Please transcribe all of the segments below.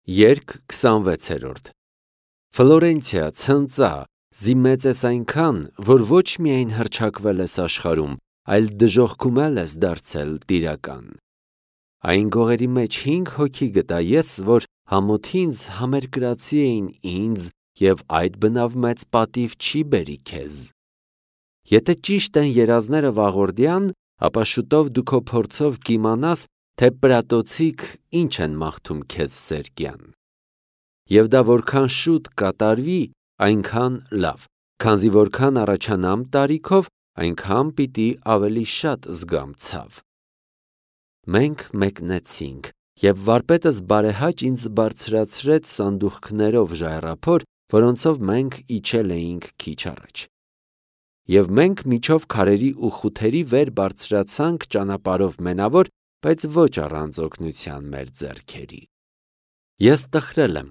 Երգ 26-րդ Ֆլորենցիա ցնծա, զի մեծ ես այնքան, որ ոչ միայն հռչակվել ես աշխարհում, այլ դժոխքում ես դարձել տիրական։ Այն գողերի մեջ 5 հոգի գտա ես, որ համոթինց համերկրացի էին ինձ, և այդ բնավ մեծ պատիվ չի բերի քեզ։ Եթե ճիշտ են երազները վաղորդյան, ապա շուտով դու քո փորձով կիմանաս, թե պրատոցիկ ինչ են մաղթում քեզ սերկյան։ Եվ դա որքան շուտ կատարվի, այնքան լավ, քանզի որքան առաջանամ տարիքով, այնքան պիտի ավելի շատ զգամ ցավ։ Մենք մեկնեցինք, և վարպետս բարեհաճ ինձ բարձրացրեց սանդուղքներով ժայռափոր, որոնցով մենք իջել էինք քիչ առաջ։ Եվ մենք միջով քարերի ու խութերի վեր բարձրացանք ճանապարհով մենավոր, բայց ոչ առանց օգնության մեր ձեռքերի։ Ես տխրել եմ,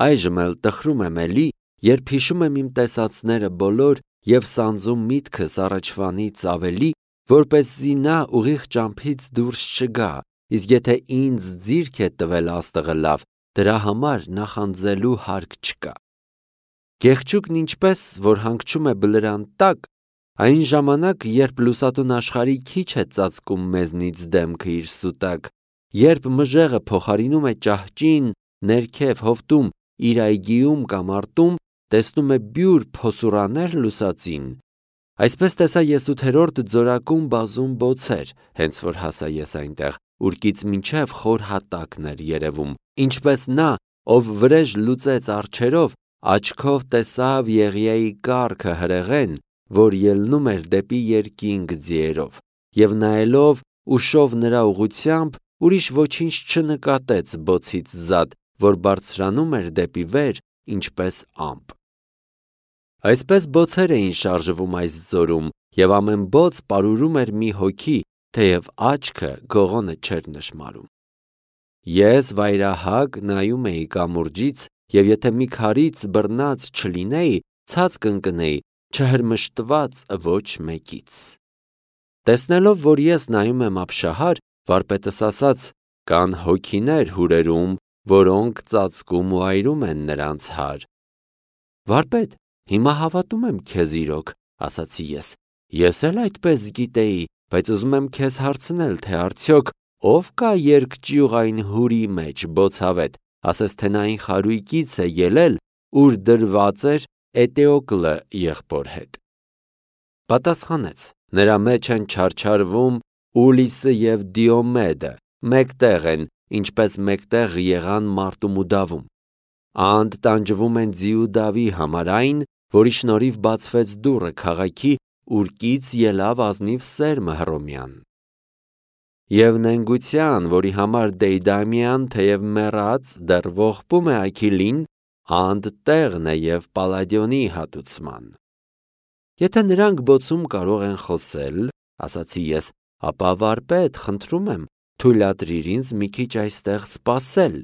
այժմ էլ տխրում եմ էլի, երբ հիշում եմ իմ տեսածները բոլոր և սանձում միտքս առաջվանից ավելի, որպեսզի նա ուղիղ ճամփից դուրս չգա, իսկ եթե ինձ ձիրք է տվել աստղը լավ, դրա համար նախանձելու հարկ չկա։ Գեղչուկն ինչպես, որ հանգչում է բլրան տակ, այն ժամանակ, երբ լուսատուն աշխարհի քիչ է ծածկում մեզնից դեմքը իր սուտակ, երբ մժեղը փոխարինում է ճահճին, ներքև հովտում, իր այգիում կամ արտում, տեսնում է բյուր փոսուրաներ լուսածին, այսպես տեսա ես 8-րդ ձորակում բազում բոցեր, հենց որ հասա ես այնտեղ, ուրկից մինչև խոր հատակն էր երևում, ինչպես նա, ով վրեժ լուծեց արջերով, աչքով տեսավ Եղիայի կառքը հրեղեն, որ ելնում էր դեպի երկինք ձիերով, և նայելով ուշով նրա ուղղությամբ, ուրիշ ոչինչ չնկատեց բոցից զատ, որ բարձրանում էր դեպի վեր, ինչպես ամպ։ Այսպես բոցեր էին շարժվում այս ձորում, և ամեն բոց պարուրում էր մի հոգի, թեև աչքը գողոնը չէր նշմարում։ Ես վայրահակ նայում էի կամուրջից, և եթե մի քարից բռնած չլինեի, ցած կընկնեի, չհրմշտված ոչ մեկից։ Տեսնելով, որ ես նայում եմ ապշահար, վարպետս ասաց. «Կան հոգիներ հուրերում, որոնք ծածկում ու այրում են նրանց հար»։ Վարպետ, հիմա հավատում եմ քեզ իրոք, ասացի ես։ Ես էլ այդպես գիտեի, բայց ուզում եմ քեզ հարցնել, թե արդյոք ով կա երկճյուղ այն հուրի մեջ բոցավետ, ասես թե նա այն խարույկից է ելել, ուր դրված էր Էտեոկլը եղբոր հետ։ Պատասխանեց. նրա մեջ են չարչարվում Ուլիսը և Դիոմեդը, մեկտեղ են, ինչպես մեկտեղ եղան մարտում ու դավում։ Անդ տանջվում են ձի ու դավի համար այն, որի շնորհիվ բացվեց դուռը քաղաքի, ուրկից ելավ ազնիվ սերմը Հռոմյան։ Եվ նենգության, որի համար Դեյդամիան, թեև մեռած, դեռ ողբում է Աքիլին, անդ տեղն է և Պալադիոնի հատուցման։ Եթե նրանք բոցում կարող են խոսել, ասացի ես, ապա վարպետ, խնդրում եմ, թույլատրիր ինձ մի քիչ այստեղ սպասել,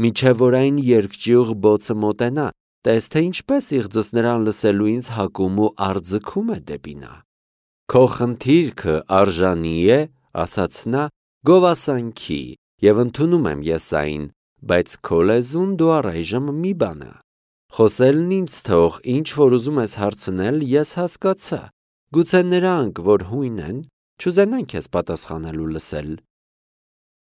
մինչև որ այն երկճյուղ բոցը մոտենա, տես թե ինչպես իղձս նրան լսելու ինձ հակում ու արձքում է դեպի նա։ Քո խնդիրքը արժանի է, ասաց նա, գովասանքի, և ընդունում եմ ես այն, բայց քո լեզուն դու առայժմ մի բանա։ Խոսելն ինձ թող, ինչ որ ուզում ես հարցնել, ես հասկացա, գուցե նրանք, որ հույն են, չուզենան քեզ պատասխանել ու լսել։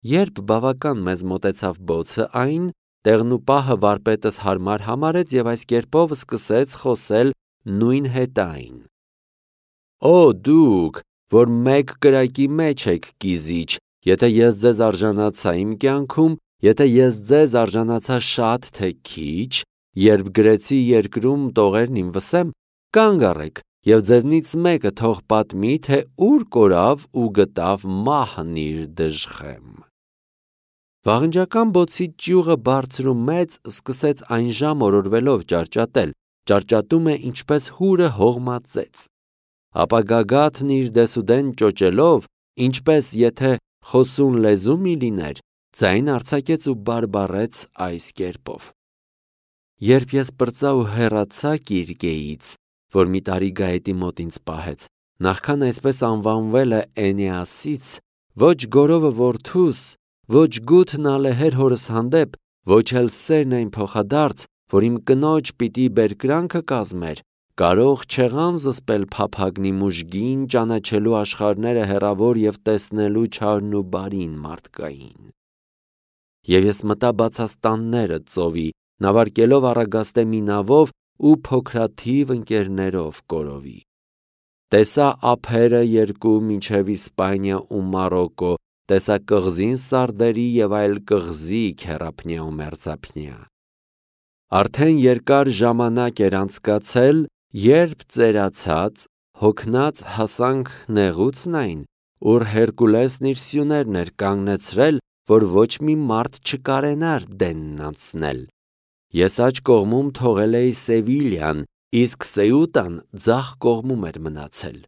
Երբ բավական մեզ մոտեցավ բոցը, այն տեղն ու պահը վարպետս հարմար համարեց և այս կերպով սկսեց խոսել նույն հետայն. Օ դուք, որ մեկ կրակի մեջ եք կիզիչ, եթե ես ձեզ արժանացա իմ կյանքում, եթե ես ձեզ արժանացա շատ թե քիչ, երբ գրեցի երկրում տողերն իմ վսեմ, կանգ առեք և ձեզնից մեկը թող պատմի, թե ուր կորավ ու գտավ մահն իր դժխեմ։ Վաղնջական բոցի ճյուղը բարձր ու մեծ սկսեց այն ժամ օրորվելով ճարճատել, ճարճատում է ինչպես հուրը հողմածեց։ Ապա գագաթն իր դեսուդեն ճոճելով, ինչպես եթե խոսուն լեզու մի լիներ, ձայն արձակեց ու բարբառեց այս կերպով. Երբ ես պրծա ու հեռացա Կիրկեից, որ մի տարի գայետի մոտ ինձ պահեց, նախքան այսպես անվանվել է Էնեասից, ոչ գորովը որդուս, ոչ գութն ալեհեր հորս հանդեպ, ոչ էլ սերն այն փոխադարձ, որ իմ կնոջ պիտի բերկրանքը կազմեր, կարող չեղան զսպել փափագնի մուժգին, ճանաչելու աշխարհները հեռավոր և տեսնելու չարն ու բարին մարդկային։ Եվ ես մտա բացաստանները ծովի, նավարկելով Առագաստե մի նավով ու փոքրաթիվ ընկերներով կորովի։ Տեսա ափերը երկու մինչև Իսպանիա ու Մարոկո, տեսա կղզին Սարդերի և այլ կղզի քեռափնյա ու մերձափնյա։ Արդեն երկար ժամանակ էր անցկացել, երբ ծերացած, հոգնած հասանք նեղուցն այն, ուր Հերկուլեսն իր սյուներն էր կանգնեցրել, որ ոչ մի մարդ չկարենար դենն անցնել։ Ես աջ կողմում թողել էի Սևիլյան, իսկ Սեուտան ձախ կողմում էր մնացել։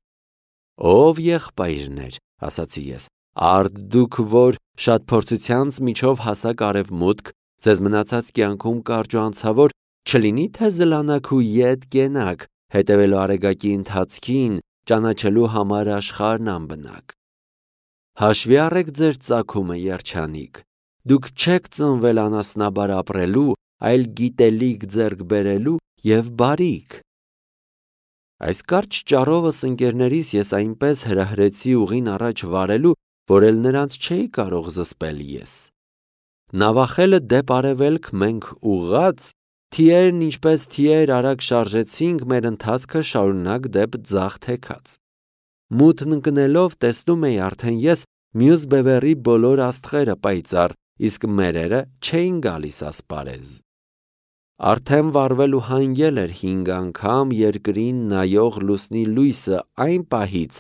Ով եղբայրներ, ասացի ես, արդ դուք, որ շատ փորձությանց միջով հասակ արևմուտք, ձեզ մնացած կյանքում կարճ ու անցավոր, չլինի թե զլանաք ու ետ կենաք, հետևելու արեգակի ընթացքին, ճանաչելու համար աշխարհն անբնակ։ Հաշվի առեք ձեր ծագումը, երջանիկ, դուք չեք ծնվել անասնաբար ապրելու, այլ գիտելիք ձեռք բերելու և բարիք։ Այս կարճ ճառովս ընկերներիս ես այնպես հրահրեցի ուղին առաջ վարելու, որ էլ նրանց չէի կարող զսպել ես։ Նավախելը դեպ արևելք մենք ուղղած, թիերն ինչպես թիեր արագ շարժեցինք մեր ընթացքը շարունակ դեպ ձախ թեքած։ Մութն ընկնելով տեսնում էի արդեն ես մյուս բևեռի բոլոր աստղերը պայծառ, իսկ մերերը չէին գալիս ասպարեզ։ Արդեն վառվելու հանգել էր 5 անգամ երկրին նայող լուսնի լույսը այն պահից,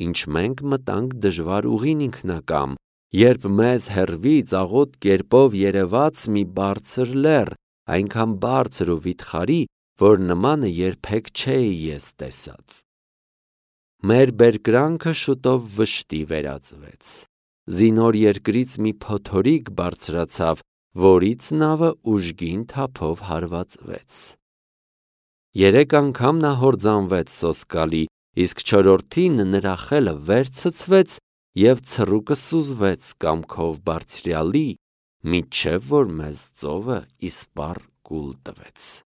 ինչ մենք մտանք դժվար ուղին ինքնակամ, երբ մեզ հեռվից աղոտ կերպով երևաց մի բարձր լեռ, այնքան բարձր ու վիթխարի, որ նմանը երբեք չէի ես տեսած։ Մեր բերկրանքը շուտով վշտի վերածվեց։ Զինոր երկրից մի փոթորիկ բարձրացավ, որից նավը ուժգին թափով հարվածվեց։ 3 անգամ նա հորձանվեց սոսկալի, իսկ չորրորդին նրա խելը վեր ցցվեց և ցռուկը սուզվեց կամքով բարձրյալի, մինչև որ մեզ ծովը իսպառ կուլ տվեց։